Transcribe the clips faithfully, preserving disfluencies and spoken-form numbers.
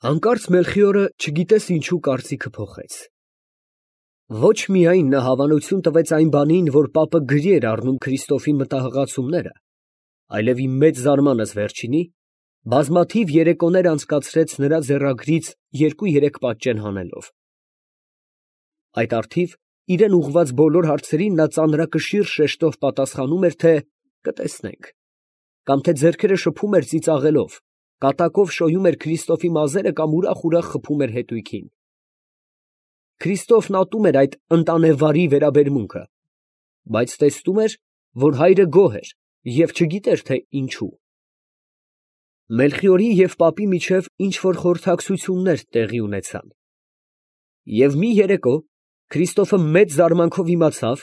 Հանկարծ Մելխիորը չգիտես ինչու կարծիքը փոխեց. ոչ միայն նա հավանություն տվեց այն բանին, որ պապը գրի էր առնում Քրիստոֆի մտահղացումները, այլև ի մեծ զարմանս վերջինի, բազմաթիվ երեկոներ անցկացրեց նրա ձեռագրից երկու֊երեք պատճեն հանելով. այդ առթիվ իրան ուղղված բոլոր հարցերին նա ծանրակշիռ շեշտով պատասխանում էր, թե կտեսնենք, կամ թե ձեռքերը շփում էր ծիծաղելով, կատակով շոյում էր Քրիստոֆի մազերը կամ ուրախ֊ուրախ խփում էր հետույքին։ Քրիստոֆն ատում էր այդ ընտանեվարի վերաբերմունքը, բայց տեսնում էր, որ հայրը գոհ էր և չգիտեր, թե ինչու։ Մելխիորի և պապի միջև ինչ֊որ խորհրդակցություններ տեղի ունեցան։ Եվ մի երեկո Քրիստոֆը մեծ զարմանքով իմացավ,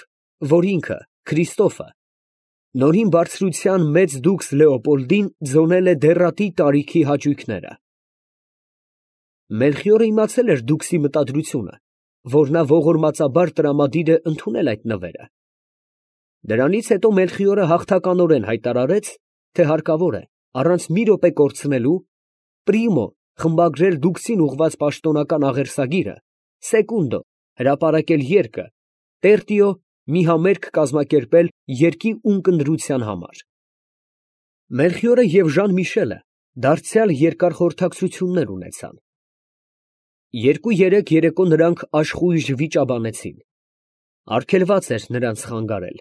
որ ինքը, Քրիստոֆը, նորին բարձրության մեծ դուքս Լեոպոլդին ձոնել է դեռատի տարիքի հաճույքները։ Մելխիորը իմացել էր դուքսի մտադրությունը, որ նա ողորմածաբար տրամադիր է ընդունել այդ նվերը։ Դրանից հետո Մելխիորը հաղթականորեն հայտարարեց, թե հարկավոր է, առանց մի րոպե կորցնելու, պրիմո խմբագրել դուքսին ուղղված պաշտոնական աղերսագիրը, սեկունդո հրապարակել երկը, տերտիո մի համերգ կազմակերպել երկի ունկնդրության համար։ Մելխիորը և Ժան֊Միշելը դարձյալ երկար խորհրդակցություններ ունեցան։ Երկու֊երեք երեկո նրանք աշխույժ վիճաբանեցին։ Արգելված էր նրանց խանգարել։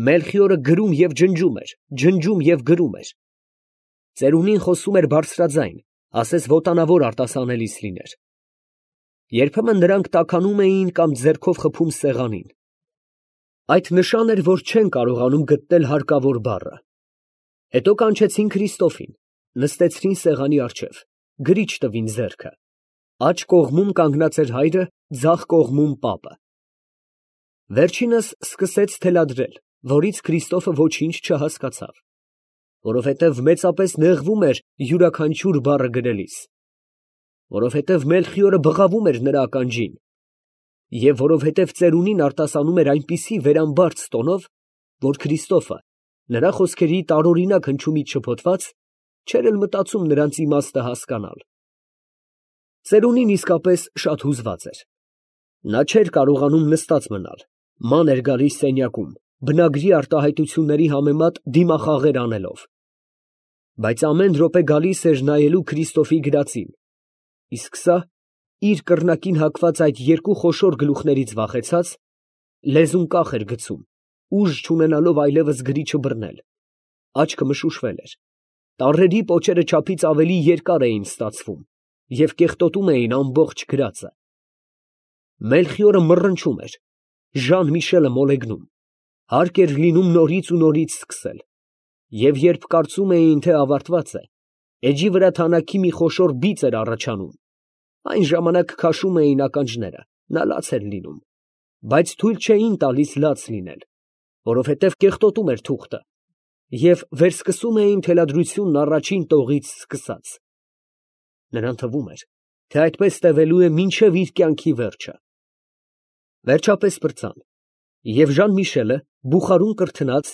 Մելխիորը գրում և ջնջում էր, ջնջում և գրում էր։ Ծերունին խոսում էր բարձրաձայն, ասես ոտանավոր արտասանելիս լիներ։ Երբեմն նրանք տաքանում էին կամ ձեռքով խփում սեղանին։ Այդ նշան էր, որ չեն կարողանում գտնել հարկավոր բառը։ Հետո կանչեցին Քրիստոֆին, նստեցրին սեղանի առջև, գրիչ տվին ձեռքը։ Աջ կողմում կանգնած էր հայրը, ձախ կողմում պապը։ Վերջինս սկսեց թելադրել, որից Քրիստոֆը ոչինչ չհասկացավ, որովհետև մեծապես նեղվում էր յուրաքանչյուր բառը գրելիս, որովհետև Մելխիորը բղավում էր նրա ականջին, և որովհետև ծերունին արտասանում էր այնպիսի վերամբարձ տոնով, որ Քրիստոֆը, նրա խոսքերի տարօրինակ հնչյունից շփոթված, չէր էլ մտածում նրանց իմաստը հասկանալ։ Ծերունին իսկապես շատ հուզված էր։ Նա չէր կարողանում նստած մնալ, ման էր գալիս սենյակում, բնագրի արտահայտությունների համեմատ դիմախաղեր անելով։ Բայց ամեն րոպե գալիս էր նայելու Քրիստոֆի գրածին, իսկ սա, իր կռնակին հակված այդ երկու խոշոր գլուխներից վախեցած, լեզուն կախ էր գցում, ուժ չունենալով այլևս գրիչը բռնել, աչքը մշուշվել էր, տառերի պոչերը չափից ավելի երկար էին ստացվում և կեղտոտում էին ամբողջ գրածը։ Մելխիորը մռնչում էր, Ժան֊Միշելը մոլեգնում, հարկ էր լինում նորից ու նորից սկսել, և երբ կարծում էին, թե ավարտված է, էջի վրա թանաքի մի խոշոր բիծ էր առաջանում, այն ժամանակ քաշում էին ականջները, նա լաց էր լինում, բայց թույլ չէին տալիս լաց լինել, որովհետև կեղտոտում էր թուղթը, և վերսկսում էին թելադրությունն առաջին տողից սկսած։ Նրան թվում էր, թե այդպես տևելու է մինչև իր կյանքի վերջը։ Վերջապես պրծան, և Ժան֊Միշելը, բուխարուն կրթնած,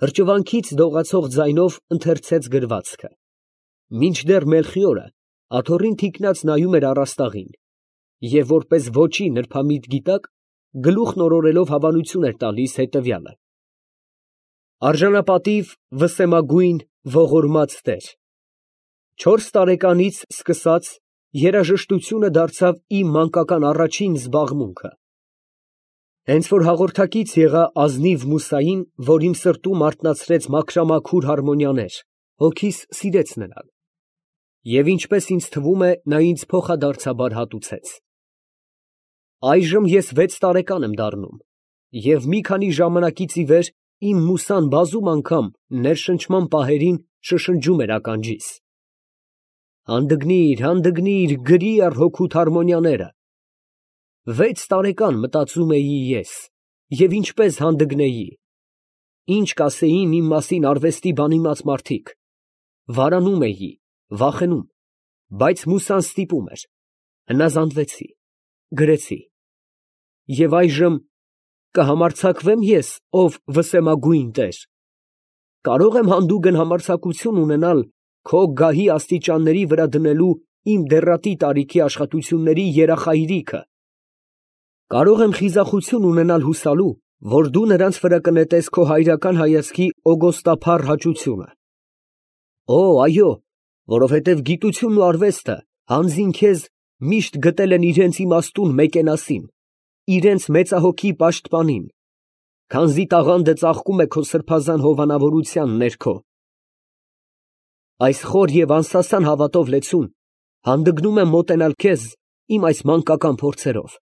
հրճվանքից դողացող ձայնով ընթերցեց գրվածքը, մինչդեռ Մելխիորը աթոռին թիկնած նայում էր առաստաղին և որպես ոճի նրբամիտ գիտակ գլուխն օրորելով հավանություն էր տալիս հետևյալը. «Արժանապատիվ, վսեմագույն, ողորմած տեր, չորս տարեկանից սկսած երաժշտությունը դարձավ իմ մանկական առաջին զբաղմունքը։ Հենց որ հաղորդակից եղա ազնիվ մուսային, որ իմ սրտում արթնացրեց մաքրամաքուր հարմոնիաներ, հոգիս սիրեց նրան, և ինչպես ինձ թվում է, նա ինձ փոխադարձաբար հատուցեց։ Այժմ ես վեց տարեկան եմ դառնում, և մի քանի ժամանակից ի վեր իմ մուսան բազում անգամ ներշնչման պահերին շշնջում էր ականջիս. «Հանդգնիր, հանդգնիր, գրի առ հոգուդ հարմոնիաները»։ Վեց տարեկան մտածում էի ես, և ինչպես հանդգնեի, ինչ կասեին իմ մասին արվեստի բանիմաց մարդիկ, վարանում էի, վախենում, բայց մուսան ստիպում էր, հնազանդվեցի, գրեցի։ Եվ այժմ կհամարձակվե՞մ ես, ով վսեմագույն տեր, կարո՞ղ եմ հանդուգն համարձակություն ունենալ քո գահի աստիճանների վրա դնելու իմ դեռատի տարիքի աշխատությունների երախայրիքը։ Կարող եմ խիզախություն ունենալ հուսալու, որ դու նրանց վրա կնետես քո հայրական հայացքի օգոստափառ հաճությունը։ Օ, այո, որովհետև գիտությունն ու արվեստը հանձին քեզ միշտ գտել են իրենց իմաստուն մեկենասին, իրենց մեծահոգի պաշտպանին, քանզի տաղանդը ծաղկում է քո սրբազան հովանավորության ներքո։ Այս խոր և անսասան հավատով լեցուն հանդգնում եմ մոտենալ քեզ իմ այս մանկական փորձերով։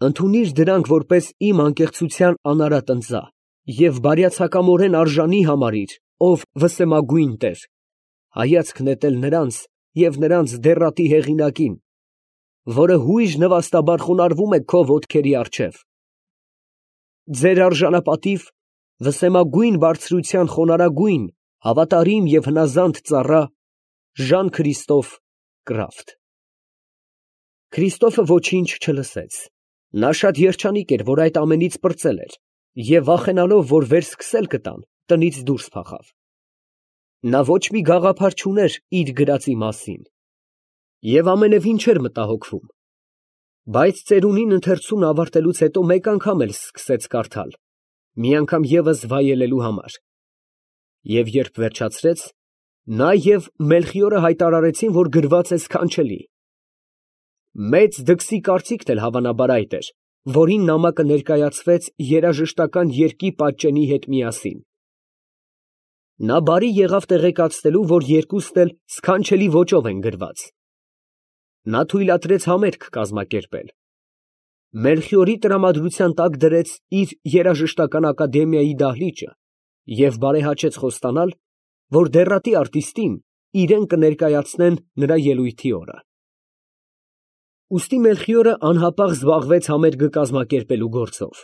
Ընդունիր դրանք որպես իմ անկեղծության անարատ ընծա և բարյացակամորեն արժանի համարիր, ով վսեմագույն Տեր, հայացք նետել նրանց և նրանց դեռատի հեղինակին, որը հույժ նվաստաբար խոնարհվում է քո ոտքերի առջև։ Ձեր արժանապատիվ, վսեմագույն բարձրության խոնարհագույն, հավատարիմ և հնազանդ ծառա Ժան Քրիստոֆ Կրաֆտ։ Քրիստոֆը ոչինչ չլսեց. նա շատ երջանիկ էր, որ այդ ամենից պրծել էր, և վախենալով, որ վերսկսել կտան, տնից դուրս փախավ։ Նա ոչ մի գաղափար չուներ իր գրածի մասին և ամենևին չէր մտահոգվում, բայց ծերունին ընթերցումն ավարտելուց հետո մեկ անգամ էլ սկսեց կարդալ, մի անգամ ևս վայելելու համար, և երբ վերջացրեց, նա և Մելխիորը հայտարարեցին, որ գրված է սքանչելի։ Մեծ դքսի կարծիքն էլ հավանաբար այդ էր, որին նամակը ներկայացվեց երաժշտական երգի պատճենի հետ միասին։ Նա բարի եղավ տեղեկացնելու, որ երկուսն էլ սքանչելի ոճով են գրված։ Նա թույլատրեց համերգ կազմակերպել։ Մելխիորի տրամադրության տակ դրեց իր երաժշտական ակադեմիայի դահլիճը և բարեհաճեց խոստանալ, որ դեռատի արտիստին իրեն կներկայացնեն նրա ելույթի օրը։ Ուստի Մելխիորը անհապաղ զբաղվեց համերգը կազմակերպելու գործով։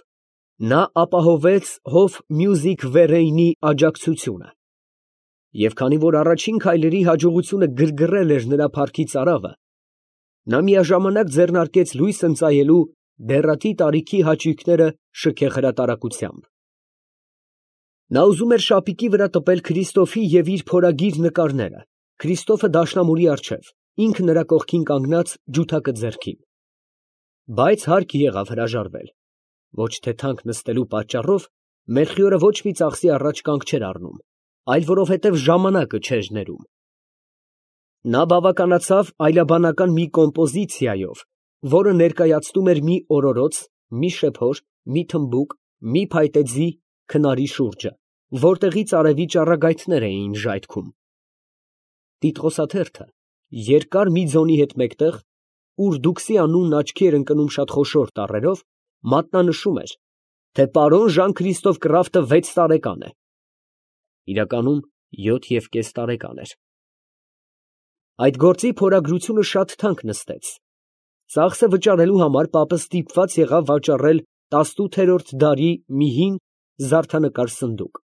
Նա ապահովեց Հոֆ Մյուզիք Վերեյնի աջակցությունը։ Եվ քանի որ առաջին քայլերի հաջողությունը գրգռել էր նրա փառքի ծարավը, նա միաժամանակ ձեռնարկեց լույս ընծայելու դեռատի տարիքի հաճույքները շքեղ հրատարակությամբ։ Նա ուզում էր շապիկի վրա տպել Քրիստոֆի և իր փորագիր նկարները, Քրիստոֆը դաշնամուրի առջև, ինքը նրա կողքին կանգնած ջութակը ձեռքին։ Բայց հարկ եղավ հրաժարվել։ Ոչ թե թանկ նստելու պատճառով Մելխիորը ոչ մի ծախսի առաջ կանգ չէր առնում, այլ որովհետև ժամանակը չէր ներում։ Նա բավականացավ այլաբանական մի կոմպոզիցիայով, որը ներկայացնում էր մի օրորոց, մի շեփոր, մի թմբուկ, մի փայտե ձի քնարի շուրջը, որտեղից արևի ճառագայթներ էին ժայթքում։ Տիտղոսաթերթը երկար մի ձոնի հետ մեկտեղ, ուր դուքսի անունն աչքի էր ընկնում շատ խոշոր տառերով, մատնանշում էր, թե պարոն Ժան Քրիստոֆ Կրաֆտը վեց տարեկան է։ Իրականում յոթ և կես տարեկան էր։ Այդ գործի փորագրությունը շատ թանկ նստեց։ Ծախսը վճարելու համար պապը ստիպված եղավ վաճառել տասնութերորդ դարի մի հին զարդանկար սնդուկ,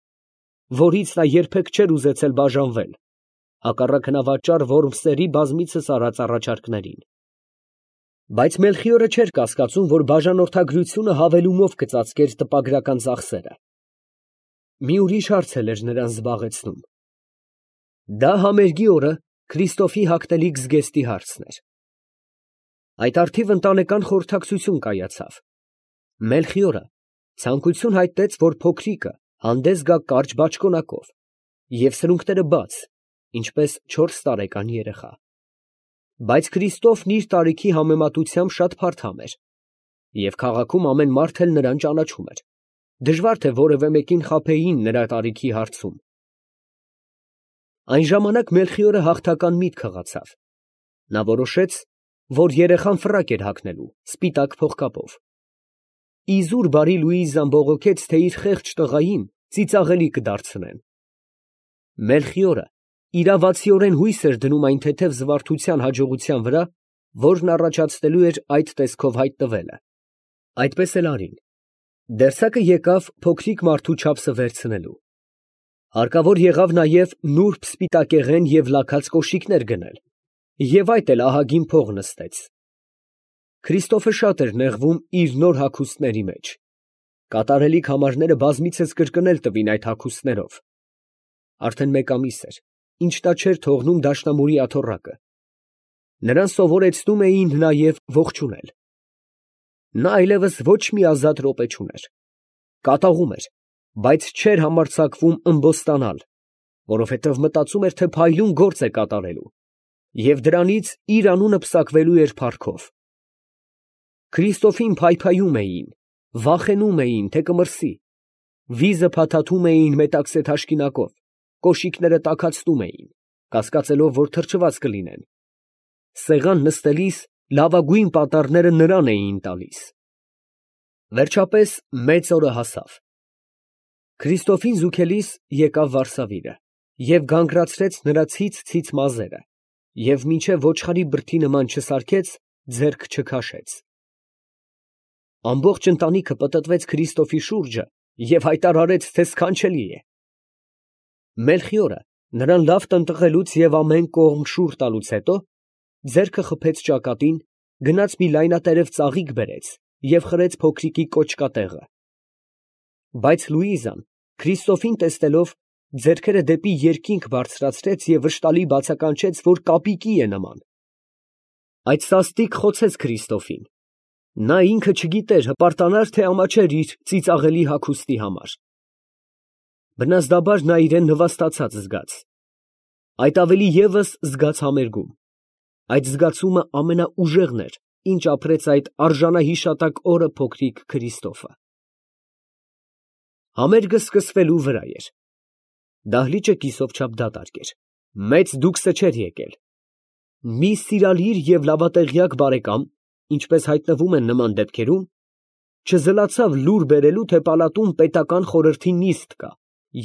որից նա երբեք չէր ուզեցել բաժանվել, հակառակ հնավաճառ Որմսերի բազմիցս արած առաջարկներին։ Բայց Մելխիորը չէր կասկածում, որ բաժանորդագրությունը հավելումով կծածկեր տպագրական ծախսերը։ Մի ուրիշ հարց էլ էր նրան զբաղեցնում։ Դա համերգի օրը Քրիստոֆի հագնելիք զգեստի հարցն էր։ Այդ առթիվ ընտանեկան խորհրդակցություն կայացավ։ Մելխիորը ցանկություն հայտնեց, որ փոքրիկը հանդես գա կարճ բաճկոնակով և սրունքները բաց, ինչպես չորս տարեկան երեխա։ Բայց Քրիստոֆն իր տարիքի համեմատությամբ շատ փարթամ էր, և քաղաքում ամեն մարդ էլ նրան ճանաչում էր, դժվար թե որևէ մեկին խաբեին նրա տարիքի հարցում։ Այն ժամանակ Մելխիորը հաղթական միտք հղացավ։ Նա որոշեց, որ երեխան ֆրակ էր հագնելու, սպիտակ փողկապով։ Իզուր բարի Լուիզան բողոքեց, թե իր խեղճ տղային ծիծաղելի կդարձնեն։ Մելխիորը իրավացիորեն հույս էր դնում այն թեթև զվարթության հաջողության վրա, որն առաջացնելու էր այդ տեսքով հայտնվելը։ Այդպես էլ արին։ Դերձակը եկավ փոքրիկ մարդու չափսը վերցնելու։ Հարկավոր եղավ նաև նուրբ սպիտակեղեն և լաքած կոշիկներ գնել, և այդ էլ ահագին փող նստեց։ Քրիստոֆը շատ էր նեղվում իր նոր հագուստների մեջ։ Կատարելիք համարները բազմիցս կրկնել տվին այդ հագուստներով։ Արդեն մեկ ամիս էր, ինչ նա չէր թողնում դաշնամուրի աթոռակը, Նրան սովորեցնում էին նաև ողջունել։ Նա այլևս ոչ մի ազատ րոպե չուներ, կատաղում էր, բայց չէր համարձակվում ըմբոստանալ, որովհետև մտածում էր, թե փայլուն գործ է կատարելու, և դրանից իր անունը պսակվելու էր փառքով։ Քրիստոֆին փայփայում էին, վախենում էին, թե կմրսի, վիզը փաթաթում էին մետաքսե թաշկինակով, կոշիկները տաքացնում էին, կասկածելով, որ թրջված կլինեն։ Սեղան նստելիս լավագույն պատառները նրան էին տալիս։ Վերջապես մեծ օրը հասավ։ Քրիստոֆին զուգելիս եկավ վարսավիրը և գանգրացրեց նրա ցից֊ցից մազերը և մինչև ոչխարի բրդի նման չսարքեց, ձեռք չքաշեց։ Ամբողջ ընտանիքը պտտվեց Քրիստոֆի շուրջը և հայտարարեց, թե սքանչելի է։ Մելխիորը նրան լավ տնտղելուց և ամեն կողմ շուռ տալուց հետո, ձեռքը խփեց ճակատին, գնաց մի լայնատերև ծաղիկ բերեց և խրեց փոքրիկի կոճկատեղը։ Բայց Լուիզան, Քրիստոֆին տեսնելով, ձեռքերը դեպի երկինք բարձրացրեց և վշտալի բացականչեց, որ կապիկի է նման։ Այդ սաստիկ խոցեց Քրիստոֆին։ Նա ինքը չգիտեր հպարտանար, թե ամաչեր իր ծիծաղելի հագուստի համար։ Բնազդաբար նա իրան նվաստացած զգաց։ Այդ ավելի ևս զգաց համերգում։ Այդ զգացումը ամենաուժեղն էր, ինչ ապրեց այդ արժանահիշատակ օրը փոքրիկ Քրիստոֆը։ Համերգը սկսվելու վրա էր։ Դահլիճը կիսով չափ դատարկ էր։ Մեծ դուքսը չէր եկել։ Մի սիրալիր և լավատեղյակ բարեկամ, ինչպես հայտնվում են նման դեպքերում, չզլացավ լուր բերելու, թե պալատում պետական խորհրդի նիստ կա,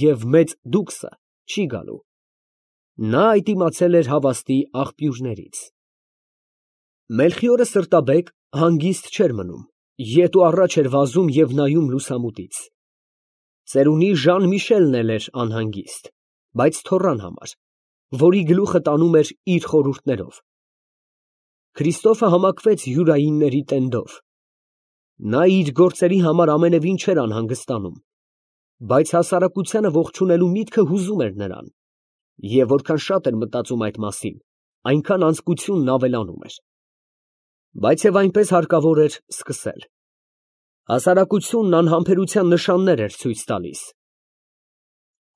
և մեծ դուքսը չի գալու։ Նա այդ իմացել էր հավաստի աղբյուրներից։ Մելխիորը սրտաբեկ, հանգիստ չէր մնում, ետ ու առաջ էր վազում և նայում լուսամուտից։ Ծերունի Ժան Միշելն էլ էր անհանգիստ, բայց թոռան համար, որի գլուխը տանում էր իր խորհուրդներով։ Քրիստոֆը համակվեց յուրայինների տենդով։ Նա իր գործերի համար ամենևին չէր անհանգստանում, բայց հասարակությանը ողջունելու միտքը հուզում էր նրան, և որքան շատ էր մտածում այդ մասին, այնքան անձկությունն ավելանում էր։ Բայց և այնպես հարկավոր էր սկսել։ Հասարակությունն անհամբերության նշաններ էր ցույց տալիս։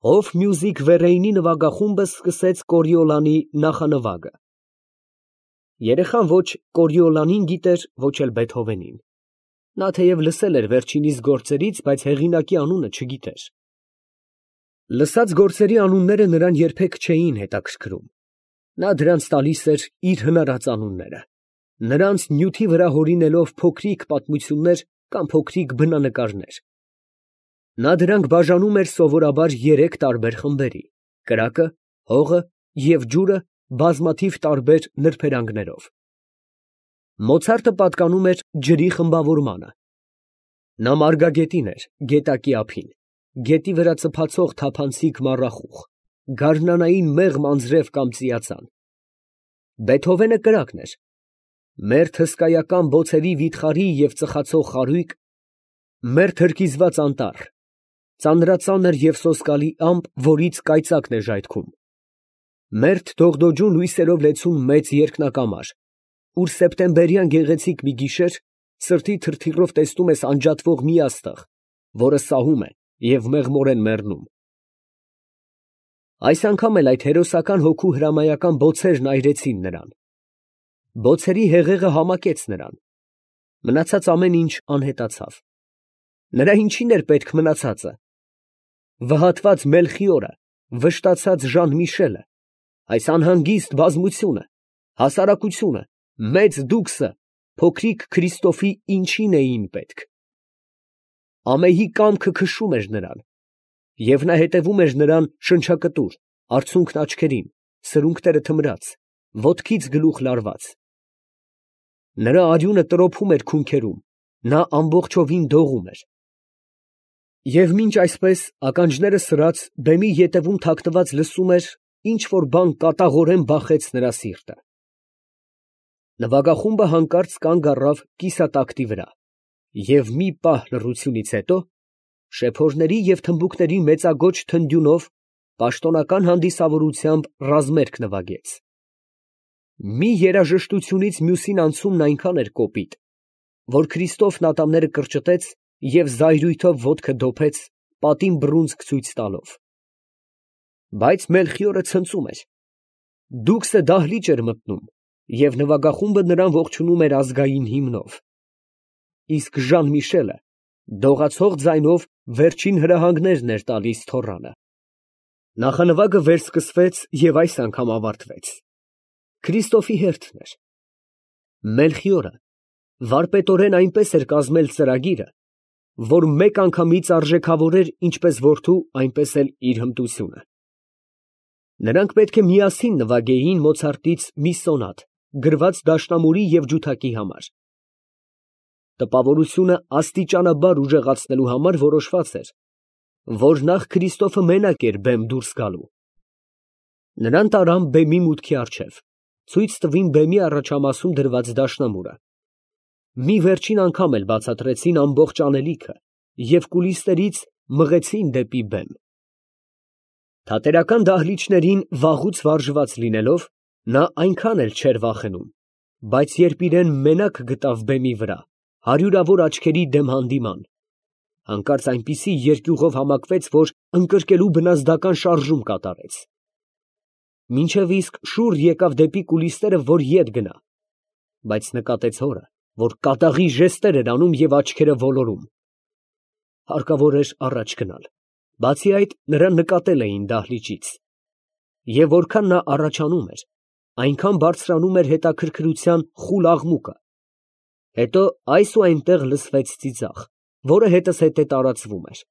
Հոֆ Մյուզիք Վերեյնի նվագախումբը սկսեց Կորիոլանի նախանվագը։ Երեխան ոչ Կորիոլանին գիտեր, ոչ էլ Բեթհովենին։ Նա թեև լսել էր վերջինիս գործերից, բայց հեղինակի անունը չգիտեր։ Լսած գործերի անունները նրան երբեք չէին հետաքրքրում։ Նա դրանց տալիս էր իր հնարած անունները, նրանց նյութի վրա հորինելով փոքրիկ պատմություններ կամ փոքրիկ բնանկարներ։ Նա դրանք բաժանում էր սովորաբար երեք տարբեր խմբերի՝ կրակը, հողը և ջուրը բազմաթիվ տարբեր նրբերանգներով։ Մոցարտը պատկանում էր ջրի խմբավորմանը։ Նա մարգագետին էր, գետակի ափին, գետի վրա ծփացող թափանցիկ մառախուղ, գարնանային մեղմ անձրև կամ ծիածան։ Բեթհովենը կրակն էր, մերթ հսկայական բոցերի վիթխարի և ծխացող խարույկ, մերթ հրկիզված անտառ, ծանրածանր և սոսկալի ամպ, որից կայծակն է ժայթքում, մերթ դողդոջուն լույսերով լեցուն մեծ երկնակամար, ուր սեպտեմբերյան գեղեցիկ մի գիշեր սրտի թրթիռով տեսնում ես անջատվող մի աստղ, որը սահում է և մեղմորեն մեռնում։ Այս անգամ էլ այդ հերոսական հոգու հրամայական բոցերն այրեցին նրան։ Բոցերի հեղեղը համակեց նրան։ Մնացած ամեն ինչ անհետացավ։ Նրա ինչին էր պետք մնացածը։ Վհատված Մելխիորը, վշտացած Ժան Միշելը, այս անհանգիստ բազմությունը, հասարակությունը, մեծ դուքսը փոքրիկ Քրիստոֆի ինչին էին պետք։ Ամեհի կամքը քշում էր նրան, և նա հետևում էր նրան շնչակտուր, արցունքն աչքերին, սրունքները թմրած, ոտքից գլուխ լարված։ Նրա արյունը տրոփում էր քունքերում, նա ամբողջովին դողում էր։ Եվ մինչ այսպես ականջները սրած, բեմի ետևում թաքնված լսում էր, ինչ որ բան կատաղորեն բախեց նրա սիրտը։ Նվագախումբը հանկարծ կանգ առավ կիսատակտի վրա, և մի պահ լռությունից հետո շեփորների և թմբուկների մեծագոչ թնդյունով պաշտոնական հանդիսավորությամբ ռազմերգ նվագեց։ Մի երաժշտությունից մյուսին անցումն այնքան էր կոպիտ, որ Քրիստոֆն ատամները կրճտեց և զայրույթով ոտքը դոփեց, պատին բռունցք ցույց տալով։ Բայց Մելխիորը ցնծում էր։ Դուքսը դահլիճ էր մտնում, և նվագախումբը նրան ողջունում էր ազգային հիմնով։ Իսկ Ժան֊Միշելը դողացող ձայնով վերջին հրահանգներն էր տալիս թոռանը։ Նախանվագը վերսկսվեց և այս անգամ ավարտվեց։ Քրիստոֆի հերթն էր։ Մելխիորը վարպետորեն այնպես էր կազմել ծրագիրը, որ մեկ անգամից արժեքավորեր ինչպես որդու, այնպես էլ իր հմտությունը։ Նրանք պետք է միասին նվագեին Մոցարտից մի սոնատ, գրված դաշնամուրի և ջութակի համար։ Տպավորությունը աստիճանաբար ուժեղացնելու համար որոշված էր, որ նախ Քրիստոֆը մենակ էր բեմ դուրս գալու։ Նրան տարան բեմի մուտքի առջև, ցույց տվին բեմի առաջամասում դրված դաշնամուրը։ Մի վերջին անգամ էլ բացատրեցին ամբողջ անելիքը և կուլիսներից մղեցին դեպի բեմ։ Թատերական դահլիճներին վաղուց վարժված լինելով, նա այնքան էլ չէր վախենում, բայց երբ իրան մենակ գտավ բեմի վրա, հարյուրավոր աչքերի դեմ հանդիման, հանկարծ այնպիսի երկյուղով համակվեց, որ ընկրկելու բնազդական շարժում կատարեց։ Մինչև իսկ շուռ եկավ դեպի կուլիսները, որ ետ գնա, բայց նկատեց հորը, որ կատաղի ժեստեր էր անում և աչքերը ոլորում։ Հարկավոր էր առաջ գնալ, բացի այդ, նրան նկատել էին դահլիճից։ Եվ որքան նա առաջանում էր, այնքան բարձրանում էր հետաքրքրության խուլ աղմուկը։ Հետո այս ու այնտեղ լսվեց ծիծաղ, որը հետզհետե տարածվում էր։